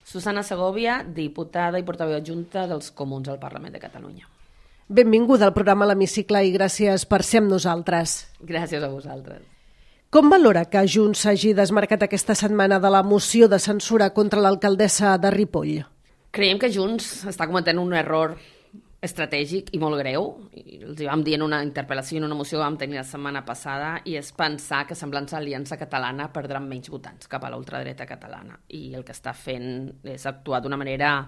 Susana Segovia, diputada i portaveu adjunta dels Comuns al Parlament de Catalunya. Benvinguda al programa L'Hemicicle i gràcies per ser amb nosaltres. Gràcies a vosaltres. Com valora que Junts s'hagi desmarcat aquesta setmana de la moció de censura contra l'alcaldessa de Ripoll? Creiem que Junts està cometent un error estratègic i molt greu. Els hi vam dir en una interpel·lació i en una moció que vam tenir la setmana passada, i és pensar que semblant Aliança Catalana perdran menys votants cap a la ultradreta catalana. I el que està fent és actuar d'una manera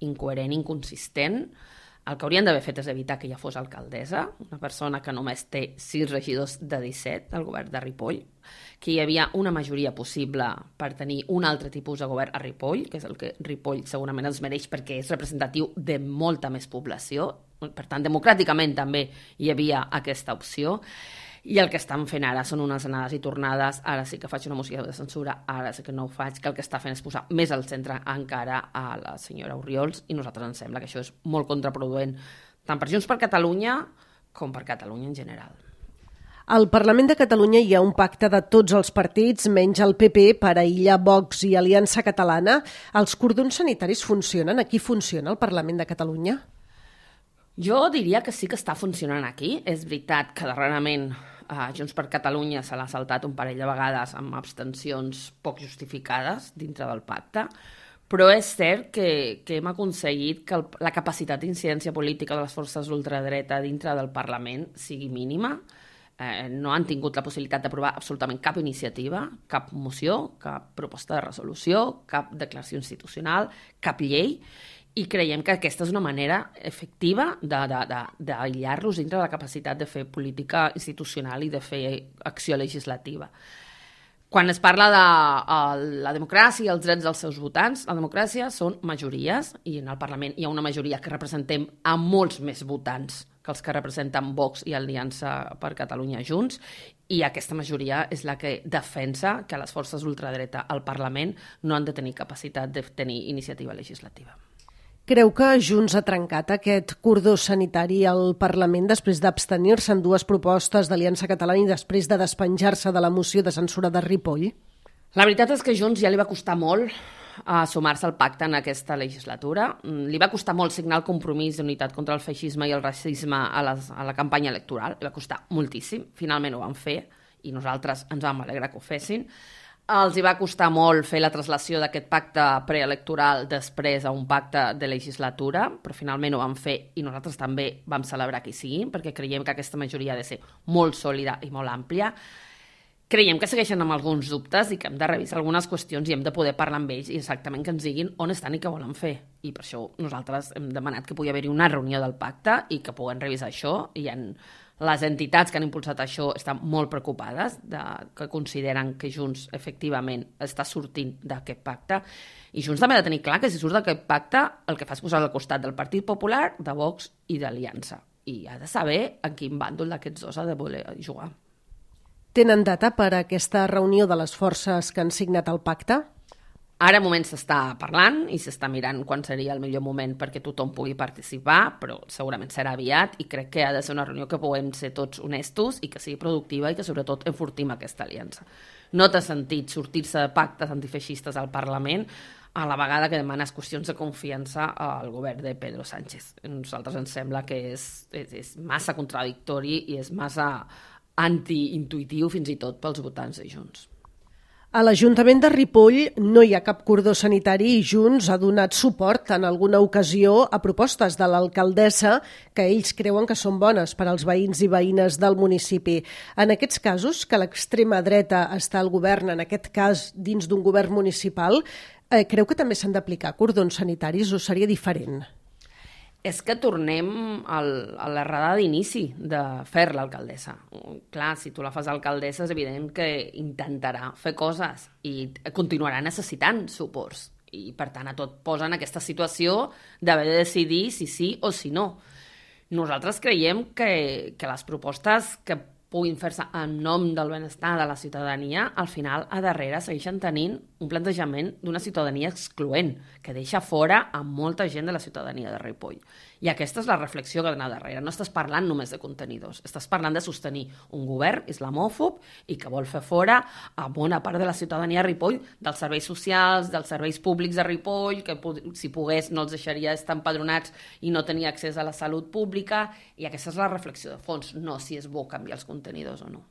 incoherent, inconsistent. El que haurien d'haver fet és evitar que ja fos alcaldessa, una persona que només té 6 regidors de 17 al govern de Ripoll, que hi havia una majoria possible per tenir un altre tipus de govern a Ripoll, que és el que Ripoll segurament els mereix perquè és representatiu de molta més població. Per tant, democràticament també hi havia aquesta opció. I el que estan fent ara són unes anades i tornades. Ara sí que faig una moció de censura, ara sí que no ho faig, que el que està fent és posar més al centre encara a la senyora Orriols, i a nosaltres ens sembla que això és molt contraproduent, tant per Junts per Catalunya com per Catalunya en general. Al Parlament de Catalunya hi ha un pacte de tots els partits, menys el PP, per aïllar Vox i Aliança Catalana. Els cordons sanitaris funcionen? Aquí funciona el Parlament de Catalunya? Jo diria que sí que està funcionant aquí. És veritat que darrerament Junts per Catalunya se l'ha saltat un parell de vegades amb abstencions poc justificades dintre del pacte, però és cert que hem aconseguit que la capacitat d'incidència política de les forces d'ultradreta dintre del Parlament sigui mínima. No han tingut la possibilitat d'aprovar absolutament cap iniciativa, cap moció, cap proposta de resolució, cap declaració institucional, cap llei, i creiem que aquesta és una manera efectiva d'aïllar-los dintre de la capacitat de fer política institucional i de fer acció legislativa. Quan es parla de la democràcia i els drets dels seus votants, la democràcia són majories, i en el Parlament hi ha una majoria que representem a molts més votants que els que representen Vox i Aliança per Catalunya Junts, i aquesta majoria és la que defensa que les forces ultradreta al Parlament no han de tenir capacitat de tenir iniciativa legislativa. Creu que Junts ha trencat aquest cordó sanitari al Parlament després d'abstenir-se en 2 propostes d'Aliança Catalana i després de despenjar-se de la moció de censura de Ripoll? La veritat és que Junts ja li va costar molt sumar-se al pacte en aquesta legislatura. Li va costar molt signar el compromís d'unitat contra el feixisme i el racisme a la campanya electoral. Li va costar moltíssim. Finalment ho van fer i nosaltres ens vam alegrar que ho fessin. Els hi va costar molt fer la traslació d'aquest pacte preelectoral després a un pacte de legislatura, però finalment ho van fer i nosaltres també vam celebrar que hi siguin, perquè creiem que aquesta majoria ha de ser molt sòlida i molt àmplia. Creiem que segueixen amb alguns dubtes i que hem de revisar algunes qüestions i hem de poder parlar amb ells i exactament que ens diguin on estan i què volen fer. I per això nosaltres hem demanat que pugui haver-hi una reunió del pacte i que puguem revisar això. I les entitats que han impulsat això estan molt preocupades, que consideren que Junts efectivament està sortint d'aquest pacte. I Junts també ha de tenir clar que si surt d'aquest pacte el que fa és posar al costat del Partit Popular, de Vox i d'Aliança. I ha de saber en quin bàndol d'aquests dos ha de voler jugar. Tenen data per a aquesta reunió de les forces que han signat el pacte? Ara al moment s'està parlant i s'està mirant quan seria el millor moment perquè tothom pugui participar, però segurament serà aviat i crec que ha de ser una reunió que puguem ser tots honestos i que sigui productiva i que sobretot enfortim aquesta aliança. No té sentit sortir-se de pactes antifeixistes al Parlament a la vegada que demanes qüestions de confiança al govern de Pedro Sánchez. A nosaltres ens sembla que és massa contradictori i és massa antiintuitiu fins i tot pels votants de Junts. A l'Ajuntament de Ripoll no hi ha cap cordó sanitari i Junts ha donat suport en alguna ocasió a propostes de l'alcaldessa que ells creuen que són bones per als veïns i veïnes del municipi. En aquests casos, que l'extrema dreta està al govern, en aquest cas dins d'un govern municipal, creu que també s'han d'aplicar cordons sanitaris o seria diferent? És que tornem a l'errada d'inici de fer l'alcaldessa. Clar, si tu la fas alcaldessa és evident que intentarà fer coses i continuarà necessitant suports. I per tant a tot posa en aquesta situació d'haver de decidir si sí o si no. Nosaltres creiem que les propostes que puguin fer-se en nom del benestar de la ciutadania, al final, a darrere, segueixen tenint un plantejament d'una ciutadania excloent, que deixa fora a molta gent de la ciutadania de Ripoll. I aquesta és la reflexió que ha d'anar darrere. No estàs parlant només de contenidors, estàs parlant de sostenir un govern islamòfob i que vol fer fora a bona part de la ciutadania de Ripoll, dels serveis socials, dels serveis públics de Ripoll, que si pogués no els deixaria estar empadronats i no tenir accés a la salut pública, i aquesta és la reflexió de fons, no si és bo canviar els contenidors o no.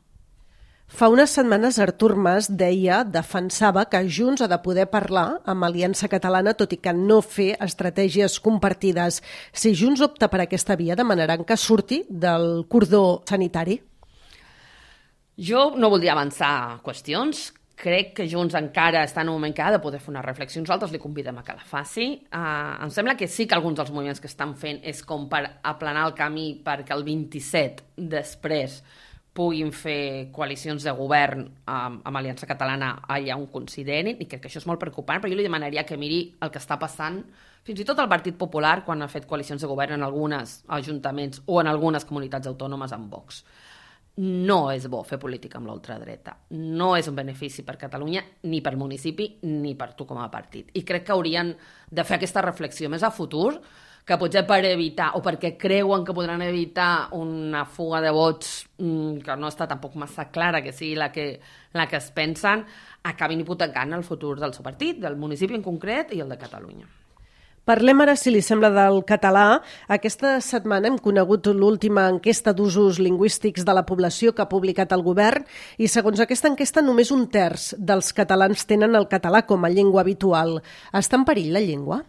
Fa unes setmanes Artur Mas defensava que Junts ha de poder parlar amb Aliança Catalana, tot i que no fer estratègies compartides. Si Junts opta per aquesta via, demanaran que surti del cordó sanitari? Jo no voldria avançar qüestions. Crec que Junts encara està en un moment que ha de poder fer una reflexió. Nosaltres li convidem a que la faci. Em sembla que sí que alguns dels moviments que estan fent és com per aplanar el camí perquè el 27 després puguin fer coalicions de govern amb Aliança Catalana allà on considerin, i crec que això és molt preocupant, però jo li demanaria que miri el que està passant fins i tot el Partit Popular quan ha fet coalicions de govern en alguns ajuntaments o en algunes comunitats autònomes amb Vox. No és bo fer política amb l'ultradreta. No és un benefici per Catalunya, ni per municipi, ni per tu com a partit. I crec que haurien de fer aquesta reflexió més a futur, que potser per evitar, o perquè creuen que podran evitar una fuga de vots que no està tampoc massa clara que sigui la que es pensen, acabin hipotecant el futur del seu partit, del municipi en concret i el de Catalunya. Parlem ara, si li sembla, del català. Aquesta setmana hem conegut l'última enquesta d'usos lingüístics de la població que ha publicat el govern i, segons aquesta enquesta, només 1/3 dels catalans tenen el català com a llengua habitual. Està en perill la llengua?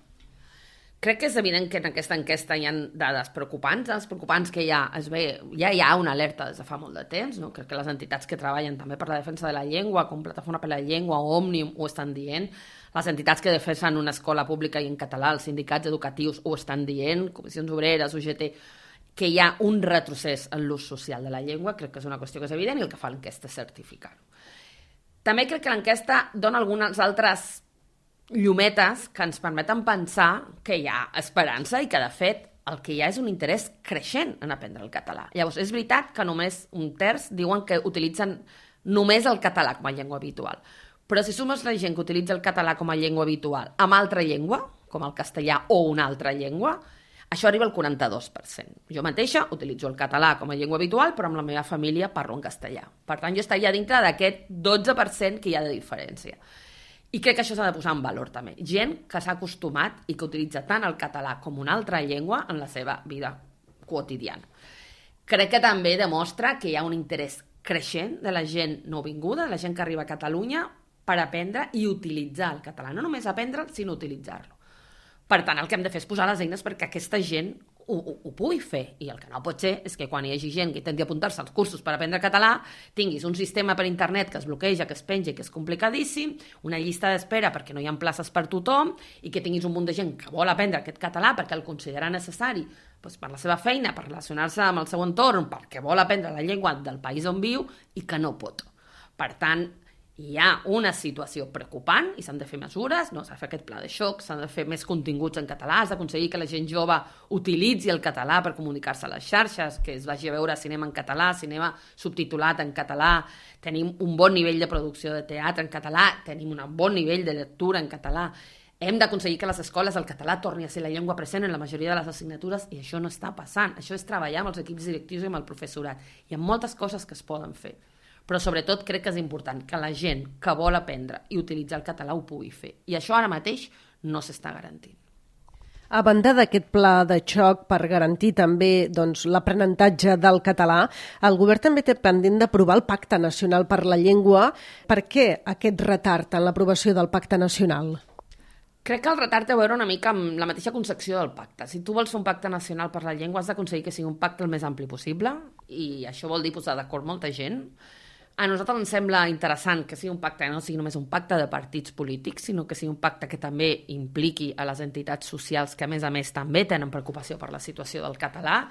Crec que és evident que en aquesta enquesta hi ha dades preocupants. Els preocupants que ja hi ha una alerta des de fa molt de temps, no? Crec que les entitats que treballen també per la defensa de la llengua, com Plataforma per la Llengua o Òmnium, ho estan dient. Les entitats que defensen una escola pública i en català, els sindicats educatius, ho estan dient, Comissions Obreres, UGT, que hi ha un retrocés en l'ús social de la llengua. Crec que és una qüestió que és evident i el que fa l'enquesta és certificar-ho. També crec que l'enquesta dona algunes altres llumetes que ens permeten pensar que hi ha esperança i que, de fet, el que hi ha és un interès creixent en aprendre el català. Llavors, és veritat que només 1/3 diuen que utilitzen només el català com a llengua habitual. Però si sumes la gent que utilitza el català com a llengua habitual amb altra llengua, com el castellà o una altra llengua, això arriba al 42%. Jo mateixa utilitzo el català com a llengua habitual, però amb la meva família parlo en castellà. Per tant, jo estaria dintre d'aquest 12% que hi ha de diferència. I crec que això s'ha de posar en valor també. Gent que s'ha acostumat i que utilitza tant el català com una altra llengua en la seva vida quotidiana. Crec que també demostra que hi ha un interès creixent de la gent nouvinguda, de la gent que arriba a Catalunya, per aprendre i utilitzar el català. No només aprendre'l, sinó utilitzar-lo. Per tant, el que hem de fer és posar les eines perquè aquesta gent ho pugui fer. I el que no pot ser és que quan hi hagi gent que intenti apuntar-se als cursos per aprendre català, tinguis un sistema per internet que es bloqueja, que es penja i que és complicadíssim, una llista d'espera perquè no hi ha places per tothom i que tinguis un munt de gent que vol aprendre aquest català perquè el considera necessari per la seva feina, per relacionar-se amb el seu entorn, perquè vol aprendre la llengua del país on viu i que no pot. Per tant, hi ha una situació preocupant i s'han de fer mesures, no? S'ha de fer aquest pla de xoc, s'han de fer més continguts en català, s'ha d'aconseguir que la gent jove utilitzi el català per comunicar-se a les xarxes, que es vagi a veure cinema en català, cinema subtitulat en català, tenim un bon nivell de producció de teatre en català, tenim un bon nivell de lectura en català. Hem d'aconseguir que a les escoles el català torni a ser la llengua present en la majoria de les assignatures i això no està passant. Això és treballar amb els equips directius i amb el professorat. Hi ha moltes coses que es poden fer. Però sobretot crec que és important que la gent que vol aprendre i utilitzar el català ho pugui fer. I això ara mateix no s'està garantint. A banda d'aquest pla de xoc per garantir també l'aprenentatge del català, el govern també té pendent d'aprovar el Pacte Nacional per la Llengua. Per què aquest retard en l'aprovació del Pacte Nacional? Crec que el retard té a veure una mica amb la mateixa concepció del pacte. Si tu vols fer un pacte nacional per la llengua, has d'aconseguir que sigui un pacte el més ampli possible, i això vol dir posar d'acord molta gent. A nosaltres ens sembla interessant que sigui un pacte que no sigui només un pacte de partits polítics, sinó que sigui un pacte que també impliqui a les entitats socials que, a més, també tenen preocupació per la situació del català,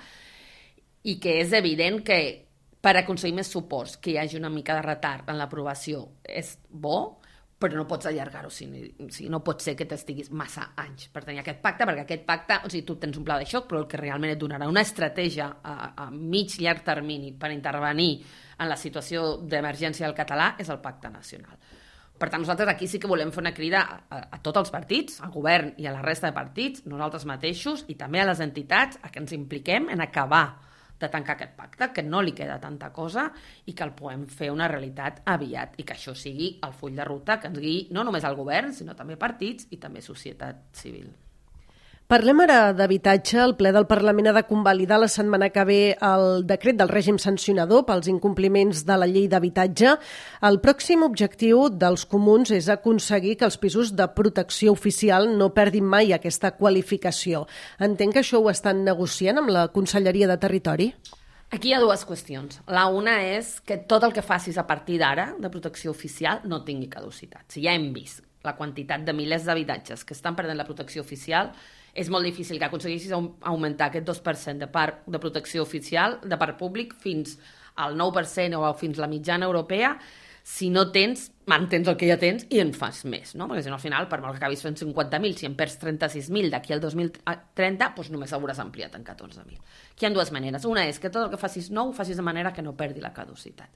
i que és evident que per aconseguir més suports, que hi hagi una mica de retard en l'aprovació és bo, però no pots allargar-ho, o sigui, no pot ser que t'estiguis massa anys per tenir aquest pacte, perquè aquest pacte, o sigui, tu tens un pla de xoc, però el que realment et donarà una estratègia a mig llarg termini per intervenir en la situació d'emergència del català és el pacte nacional. Per tant, nosaltres aquí sí que volem fer una crida a tots els partits, al govern i a la resta de partits, nosaltres mateixos i també a les entitats, a que ens impliquem en acabar de tancar aquest pacte, que no li queda tanta cosa i que el puguem fer una realitat aviat i que això sigui el full de ruta que ens guiï no només al govern, sinó també partits i també societat civil. Parlem ara d'habitatge. El ple del Parlament ha de convalidar la setmana que ve el decret del règim sancionador pels incompliments de la llei d'habitatge. El pròxim objectiu dels comuns és aconseguir que els pisos de protecció oficial no perdin mai aquesta qualificació. Entenc que això ho estan negociant amb la Conselleria de Territori? Aquí hi ha dues qüestions. La una és que tot el que facis a partir d'ara de protecció oficial no tingui caducitat. Si ja hem vist la quantitat de milers d'habitatges que estan perdent la protecció oficial, és molt difícil que aconseguissis augmentar aquest 2% de parc de protecció oficial, de parc públic, fins al 9% o fins a la mitjana europea, si no mantens el que ja tens i en fas més, no? Perquè si no, al final, per molt que acabis fent 50.000, si en perds 36.000 d'aquí al 2030, doncs només hauràs ampliat en 14.000. Aquí hi ha dues maneres. Una és que tot el que facis nou ho facis de manera que no perdi la caducitat.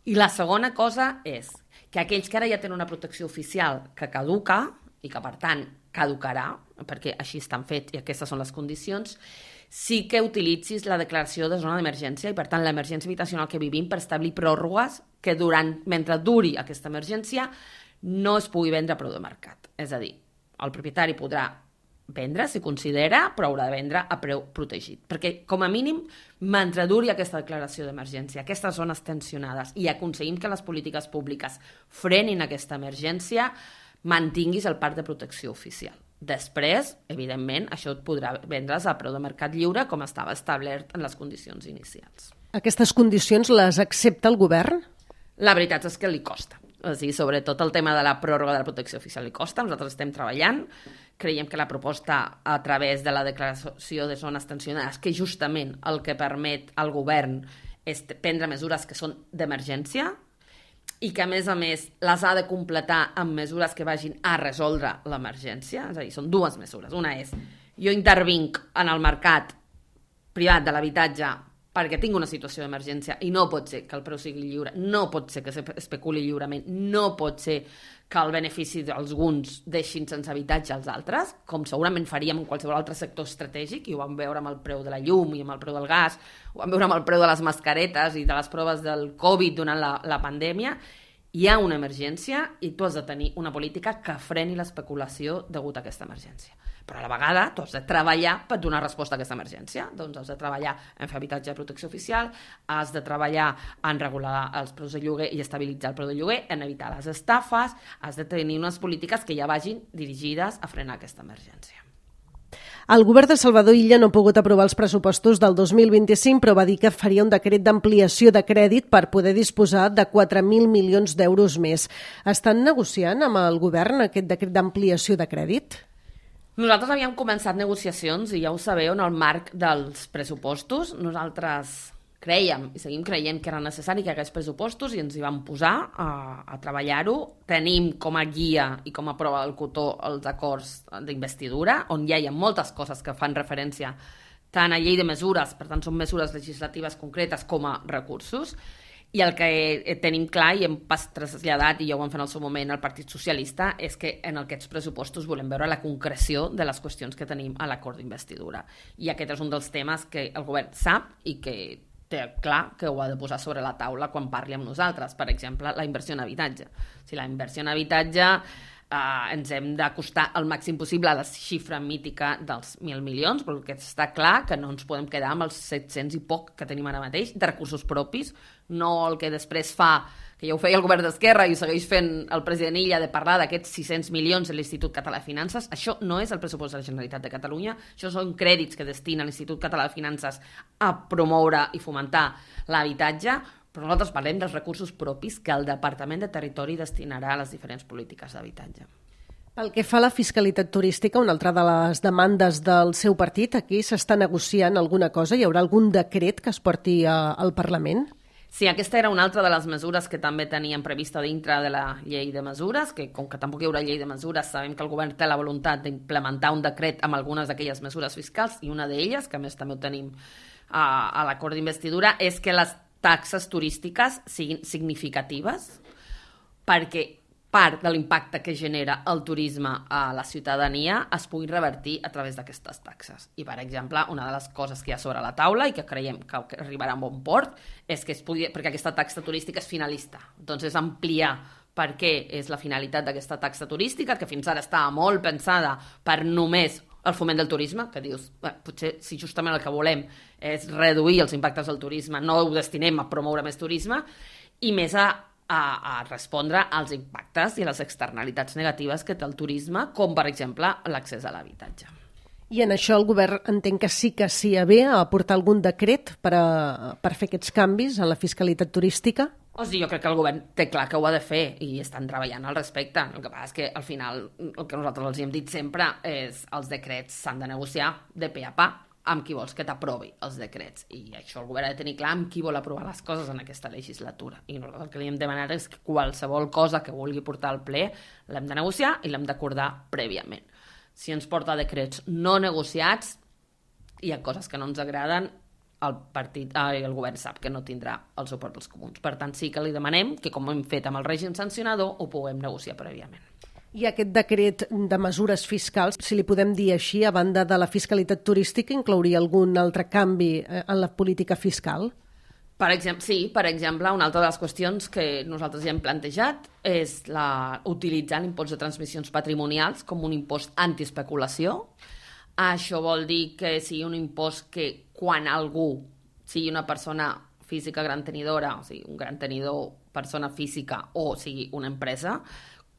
I la segona cosa és que aquells que ara ja tenen una protecció oficial que caduca i que, per tant, caducarà, perquè així estan fets i aquestes són les condicions, sí que utilitzis la declaració de zona d'emergència i, per tant, l'emergència habitacional que vivim per establir pròrrogues que mentre duri aquesta emergència no es pugui vendre a preu de mercat. És a dir, el propietari podrà vendre, si considera, però haurà de vendre a preu protegit. Perquè, com a mínim, mentre duri aquesta declaració d'emergència, aquestes zones tensionades, i aconseguim que les polítiques públiques frenin aquesta emergència, mantinguis el parc de protecció oficial. Després, evidentment, això et podrà vendre's a preu de mercat lliure com estava establert en les condicions inicials. Aquestes condicions les accepta el govern? La veritat és que li costa. O sigui, sobretot el tema de la pròrroga de la protecció oficial li costa. Nosaltres estem treballant. Creiem que la proposta a través de la declaració de zones tensionades, que justament el que permet al govern és prendre mesures que són d'emergència, i que, a més, les ha de completar amb mesures que vagin a resoldre l'emergència. És a dir, són dues mesures. Una és, jo intervinc en el mercat privat de l'habitatge perquè tinc una situació d'emergència i no pot ser que el preu sigui lliure, no pot ser que s'especuli lliurement, no pot ser que el benefici d'alguns deixin sense habitatge als altres, com segurament faríem en qualsevol altre sector estratègic, i ho vam veure amb el preu de la llum i amb el preu del gas, ho vam veure amb el preu de les mascaretes i de les proves del Covid durant la pandèmia. Hi ha una emergència i tu has de tenir una política que freni l'especulació degut a aquesta emergència. Però a la vegada tu has de treballar per donar resposta a aquesta emergència. Doncs has de treballar en fer habitatge de protecció oficial, has de treballar en regular els preus de lloguer i estabilitzar el preu de lloguer, en evitar les estafes, has de tenir unes polítiques que ja vagin dirigides a frenar aquesta emergència. El govern de Salvador Illa no ha pogut aprovar els pressupostos del 2025, però va dir que faria un decret d'ampliació de crèdit per poder disposar de 4.000 milions d'euros més. Estan negociant amb el govern aquest decret d'ampliació de crèdit? Nosaltres havíem començat negociacions, i ja ho sabeu, en el marc dels pressupostos. Nosaltres crèiem i seguim creient que era necessari que hi hagués pressupostos i ens hi vam posar a treballar-ho. Tenim com a guia i com a prova del cotó els acords d'investidura, on ja hi ha moltes coses que fan referència tant a llei de mesures, per tant són mesures legislatives concretes, com a recursos. I el que tenim clar i hem traslladat, i ja ho vam fer en el seu moment al Partit Socialista, és que en aquests pressupostos volem veure la concreció de les qüestions que tenim a l'acord d'investidura. I aquest és un dels temes que el govern sap i que té clar que ho ha de posar sobre la taula quan parli amb nosaltres. Per exemple, la inversió en habitatge. Si la inversió en habitatge ens hem d'acostar al màxim possible a la xifra mítica dels 1.000 milions, però el que està clar que no ens podem quedar amb els 700 i poc que tenim ara mateix de recursos propis, no el que després fa, que ja ho feia el govern d'Esquerra i ho segueix fent el president Illa, de parlar d'aquests 600 milions de l'Institut Català de Finances. Això no és el pressupost de la Generalitat de Catalunya, això són crèdits que destina l'Institut Català de Finances a promoure i fomentar l'habitatge, però nosaltres parlem dels recursos propis que el Departament de Territori destinarà a les diferents polítiques d'habitatge. Pel que fa a la fiscalitat turística, una altra de les demandes del seu partit, aquí s'està negociant alguna cosa? Hi haurà algun decret que es porti al Parlament? Sí, aquesta era una altra de les mesures que també teníem prevista dintre de la llei de mesures, que com que tampoc hi haurà llei de mesures, sabem que el govern té la voluntat d'implementar un decret amb algunes d'aquelles mesures fiscals, i una d'elles, que a més també ho tenim a l'acord d'investidura, és que les taxes turístiques siguin significatives, perquè part de l'impacte que genera el turisme a la ciutadania es pugui revertir a través d'aquestes taxes. I, per exemple, una de les coses que hi ha sobre la taula i que creiem que arribarà a bon port és que es pugui, perquè aquesta taxa turística és finalista. Doncs és ampliar per què és la finalitat d'aquesta taxa turística, que fins ara estava molt pensada per només el foment del turisme, que dius, potser si justament el que volem és reduir els impactes del turisme, no ho destinem a promoure més turisme, i més a respondre als impactes i a les externalitats negatives que té el turisme, com per exemple l'accés a l'habitatge. I en això el govern entenc que s'hi ve a aportar algun decret per fer aquests canvis en la fiscalitat turística? O sigui, jo crec que el govern té clar que ho ha de fer i estan treballant al respecte. El que passa és que al final el que nosaltres els hem dit sempre és els decrets s'han de negociar de pe a pa amb qui vols que t'aprovi els decrets. I això el govern ha de tenir clar amb qui vol aprovar les coses en aquesta legislatura. I nosaltres el que li hem demanat és que qualsevol cosa que vulgui portar al ple l'hem de negociar i l'hem d'acordar prèviament. Si ens porta decrets no negociats, hi ha coses que no ens agraden, el govern sap que no tindrà el suport dels comuns. Per tant, sí que li demanem que, com hem fet amb el règim sancionador, ho puguem negociar prèviament. I aquest decret de mesures fiscals, si li podem dir així, a banda de la fiscalitat turística, inclouria algun altre canvi en la política fiscal? Sí, per exemple, una altra de les qüestions que nosaltres ja hem plantejat és utilitzar l'impost de transmissions patrimonials com un impost antiespeculació. Això vol dir que sigui un impost que quan algú sigui una persona física gran tenidora, o sigui, un gran tenidor, persona física, o sigui, una empresa,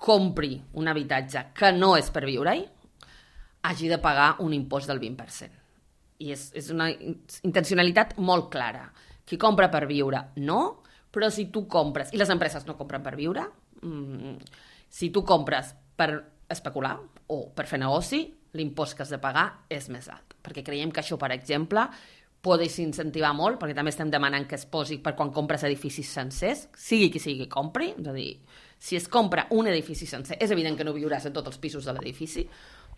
compri un habitatge que no és per viure-hi, hagi de pagar un impost del 20%. I és una intencionalitat molt clara. Qui compra per viure, no, però si tu compres, i les empreses no compren per viure, si tu compres per especular o per fer negoci, l'impost que has de pagar és més alt. Perquè creiem que això, per exemple, pot incentivar molt, perquè també estem demanant que es posi per quan compres edificis sencers, sigui qui sigui que compri, és a dir, si es compra un edifici sencer, és evident que no viuràs en tots els pisos de l'edifici,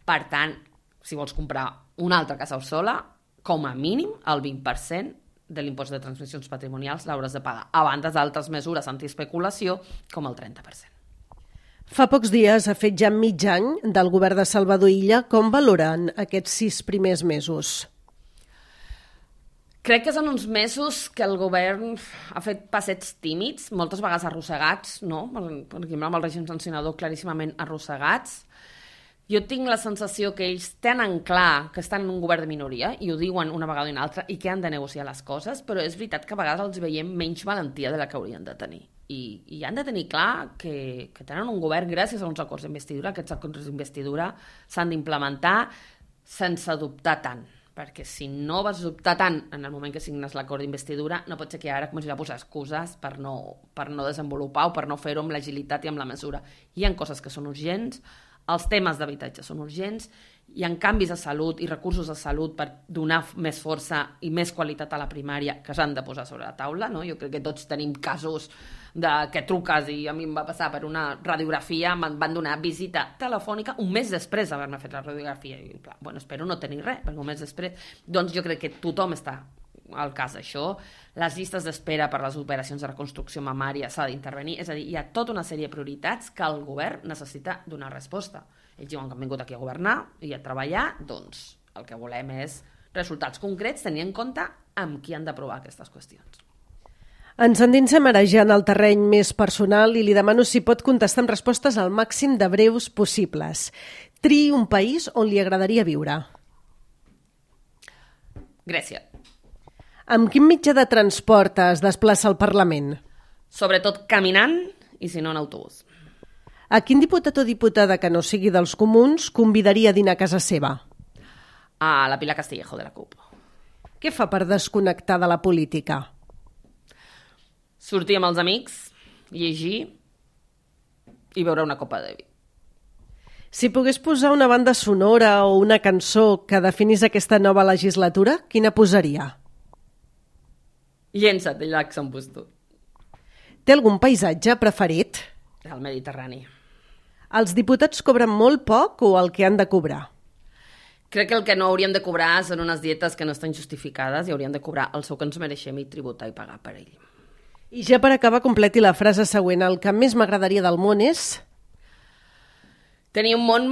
per tant, si vols comprar una altra casa sola, com a mínim el 20% de l'impost de transmissions patrimonials l'hauràs de pagar, a banda d'altres mesures antiespeculació, com el 30%. Fa pocs dies ha fet ja mig any del govern de Salvador Illa. Com valoren aquests 6 primers mesos? Crec que són uns mesos que el govern ha fet passets tímids, moltes vegades arrossegats, no? Per exemple, amb el règim sancionador claríssimament arrossegats. Jo tinc la sensació que ells tenen clar que estan en un govern de minoria i ho diuen una vegada i una altra i que han de negociar les coses, però és veritat que a vegades els veiem menys valentia de la que haurien de tenir. I han de tenir clar que tenen un govern gràcies a uns acords d'investidura. Aquests acords d'investidura s'han d'implementar sense dubtar tant, perquè si no vas dubtar tant en el moment que signes l'acord d'investidura, no pot ser que ara comencis a posar excuses per no desenvolupar o per no fer-ho amb l'agilitat i amb la mesura. Hi ha coses que són urgents, els temes d'habitatge són urgents, hi ha canvis a salut i recursos a salut per donar més força i més qualitat a la primària que s'han de posar sobre la taula, no? Jo crec que tots tenim casos que truques i a mi em va passar per una radiografia, em van donar visita telefònica un mes després d'haver-me fet la radiografia i bueno, espero no tenir res, perquè un mes després doncs jo crec que tothom està al cas d'això, les llistes d'espera per les operacions de reconstrucció mamària s'ha d'intervenir, és a dir, hi ha tota una sèrie de prioritats que el govern necessita donar resposta. Ells diuen que han vingut aquí a governar i a treballar, doncs el que volem és resultats concrets tenint en compte amb qui han d'aprovar aquestes qüestions. Ens endinsem ara ja en el terreny més personal i li demano si pot contestar amb respostes al màxim de breus possibles. Triï un país on li agradaria viure. Grècia. Amb quin mitjà de transport es desplaça al Parlament? Sobretot caminant i si no en autobús. A quin diputat o diputada que no sigui dels comuns convidaria a dinar a casa seva? A la Pilar Castillejo de la CUP. Què fa per desconnectar de la política? Sortir amb els amics, llegir i beure una copa de vi. Si pogués posar una banda sonora o una cançó que definís aquesta nova legislatura, quina posaria? Llença't, de Llacs en Bustó. Té algun paisatge preferit? El Mediterrani. Els diputats cobren molt poc o el que han de cobrar? Crec que el que no hauríem de cobrar són unes dietes que no estan justificades i hauríem de cobrar el sou que ens mereixem i tributar i pagar per ell. I ja per acabar, completi la frase següent. El que més m'agradaria del món és... Tenir un món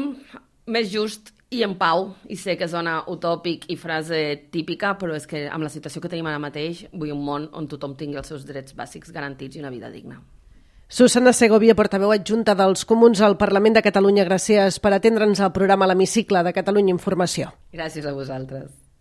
més just i en pau, i sé que sona utòpic i frase típica, però és que amb la situació que tenim ara mateix vull un món on tothom tingui els seus drets bàsics garantits i una vida digna. Susana Segovia, portaveu adjunta dels Comuns al Parlament de Catalunya, gràcies per atendre'ns al programa L'Hemicicle de Catalunya Informació. Gràcies a vosaltres.